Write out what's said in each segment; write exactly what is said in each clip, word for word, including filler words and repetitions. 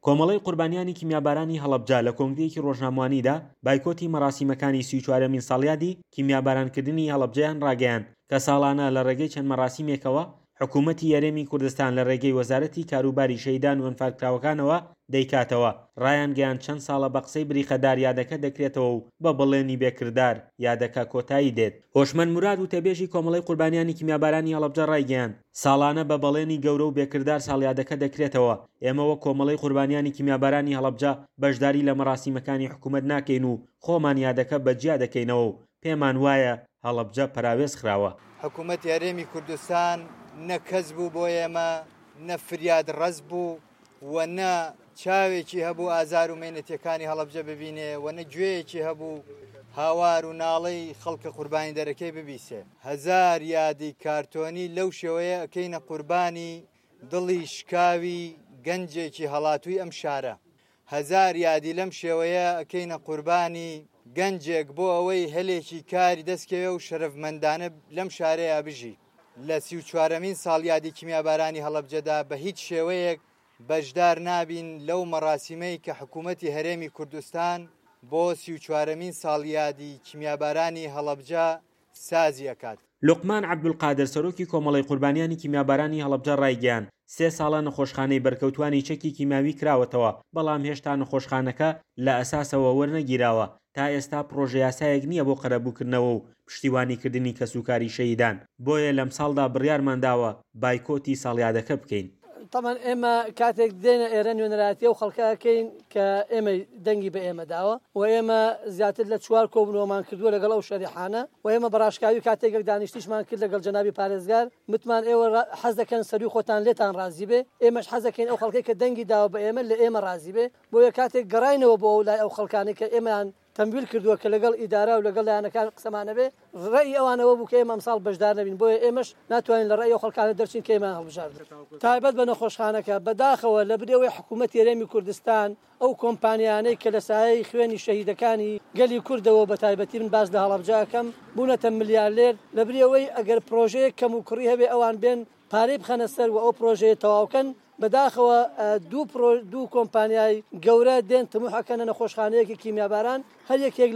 کۆمەڵەی قوربانیانی کیمیابارانی هەڵەبجە لە کۆنگرەیەکی ڕۆژنامەوانیدا بایکۆتی مەراسیمەکانی سی و چوارەمین ساڵیادی کیمیابارانکردنی هەڵەبجەیان ڕاگەیاند کە ساڵانە لە ڕێگەی چەند مەراسیمێکەوە حکوومەتی هەرێمی کوردستان لە ڕێگەی وەزارەتی کاروباری شەهیدان و ئەنفالکراوەکانەوە دەیکاتەوە. ڕایانگەیاند چەند ساڵە بە قسەی بریقەدار یادەکە دەکرێتەوە و بە بەڵێنی بێکردار یادەکە کۆتایی دێت. هۆشمەند موراد وتەبێژی کۆمەڵەی قوربانیانی کیمیابارانی هەڵەبجە ڕایگەیاند، ساڵانە بە بەڵێنی گەورە و بێکردار ساڵیادەکە دەکرێتەوە، ئێمە وەک کۆمەڵەی قوربانیانی کیمیابارانی هەڵەبجە بەشداری لە مەراسیمەکانی حکوومەت ناکەین و خۆمان یادەکە بە جیا دەکەینەوە و پێمان وایە هەڵەبجە پەراوێز خراوە. حکوومەتی هەرێمی کوردستان نە کەس بوو بۆ ئێمە، نە فریاد ڕەس بوو و نە چاوێکی هەبوو ئازار و مەینەتیەکانی هەڵەبجە ببینێ و نە گوێیەکی هەبوو هاوار و ناڵەی خەڵکە قوربانی دەرەکەی ببیسێ. هەزار یادی کارتۆنی لەو شێوەیە ئەکەینە قوربانی دڵی شکاوی گەنجێکی هەڵاتووی ئەم شارە. هەزار یادی لەم شێوەیە ئەکەینە قوربانی گەنجێک بۆ ئەوەی هەلێکی کاری دەستکەوێ و شەرەفمەندانە لەم شارەیە بژی. لە سی و چوارەمین ساڵیادی کیمیابارانی هەڵەبجەدا بە هیچ شێوەیەک بەشدار نابین لەو مەراسیمەی کە حکوومەتی هەرێمی کوردستان بۆ سی و چوارەمین ساڵیادی کیمیابارانی هەڵەبجە سازی ئەکات. لوقمان عەبدولقادر سەرۆکی کۆمەڵەی قوربانیانی کیمیابارانی هەڵەبجە ڕایگەیاند، سێ ساڵە نەخۆشخانەی بەرکەوتوانی چەکی کیمیاوی کراوەتەوە، بەڵام هێشتا نەخۆشخانەکە لە ئەساسەوە وەرنەگیراوە، تا ئێستا پڕۆژە یاسایەک نییە بۆ قەرەبووکردنەوە و پشتیوانیکردنی کەسوکاری شەهیدان، بۆیە لەمساڵدا بڕیارمان داوە بایکۆتی ساڵیادەکە بکەین. تەبعەن ئێمە کاتێک دێنە ئێرە نوێنەرایەتی ئەو خەڵکە ئەکەین کە ئێمەی دەنگی بە ئێمە داوە و ئێمە زیاتر لە چوار کۆبوونەوەمان کردووە لەگەڵ ئەو شەریحانە و ئێمە بەڕاشکاوی کاتێک یەک دانیشتیشمان کرد لەگەڵ جەنابی پارێزگار متمان ئێوە حەز دەکەن سەروی خۆتان لێتان ڕازی بێ، ئێمەش حەز دەکەین ئەو خەڵکەی کە دەنگی داوە بە ئێمە لە ئێمە ڕازی بێ. بۆیە کاتێک گەڕاینەوە بۆ ئەو لای ئەو خەڵکانەی کە ئێمەیان تەمویل کردووە کە لەگەڵ ئیدارە و لەگەڵ لایەنەکان قسەمان هەبێ، ڕەئی ئەوان ئەوە بوو کە ئێمە ئەمساڵ بەشدار نەبین، بۆیە ئێمەش ناتوانین لە ڕەئی ئەو خەڵکانە دەرچین کە ئێمەیان هەڵبژاردووە. تایبەت بە نەخۆشخانەکە، بەداخەوە لەبری ئەوەی حکوومەتی هەرێمی کوردستان ئەو کۆمپانیانەی کە لە سایەی خوێنی شەهیدەکانی گەلی کوردەوە بە تایبەتی من باس لە هەڵەبجە ئەکەم بوونەتە ملیارلێر، لەبری ئەوەی ئەگەر پرۆژەیەک کەموکوڕی هەبێ ئەوان بێن پارەی بخەنە سەر و ئەو پرۆژەیە تەواوکەن، بەداخەوە دوو پرۆ دوو کۆمپانیای گەورە دێن تموح ئەکەنە نەخۆشخانەیەکی کیمیاباران، هەر یەکێک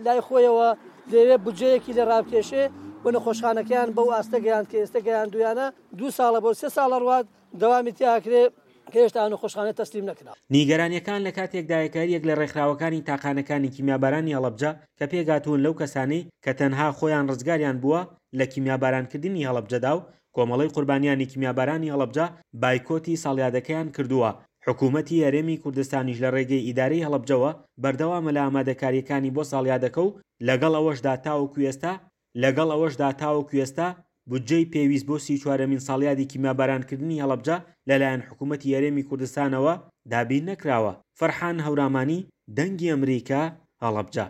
لای خۆیەوە دەیەوێت بودجەیەکی لێ ڕابکێشێ و نەخۆشخانەکەیان بەو ئاستە گەیاند کە ئێستە گەیاندوویانە، دوو ساڵە بۆ سێ ساڵە ڕوات دەوامی تیا ئەکرێ کە هێشتا ئەو نەخۆشخانە تەسلیم نەکراوە. نیگەرانییەکان لە کاتێکدایە کە هەریەک لە ڕێکخراوەکانی تاقانەکانی کیمیابارانی هەڵەبجە کە پێکهاتوون لەو کەسانەی کە تەنها خۆیان ڕزگاریان بووە لە کیمیابارانکردنی هەڵەبجەدا و کۆمەڵەی قوربانیانی کیمیابارانی هەڵەبجە بایکۆتی ساڵیادەکەیان کردووە، حکوومەتی هەرێمی کوردستانیش لە ڕێگەی ئیدارەی هەڵەبجەوە بەردەوامە لە ئامادەکارییەکانی بۆ ساڵیادەکە و لەگەڵ ئەوەشدا تاوەکو ئێستا لەگەڵ ئەوەشدا تاوەکو ئێستا بودجەی پێویست بۆ سی و چوارەمین ساڵیادی کیمیابارانکردنی هەڵەبجە لەلایەن حکوومەتی هەرێمی کوردستانەوە دابین نەکراوە. فەرحان هەورامانی، دەنگی ئەمریکا، هەڵەبجە.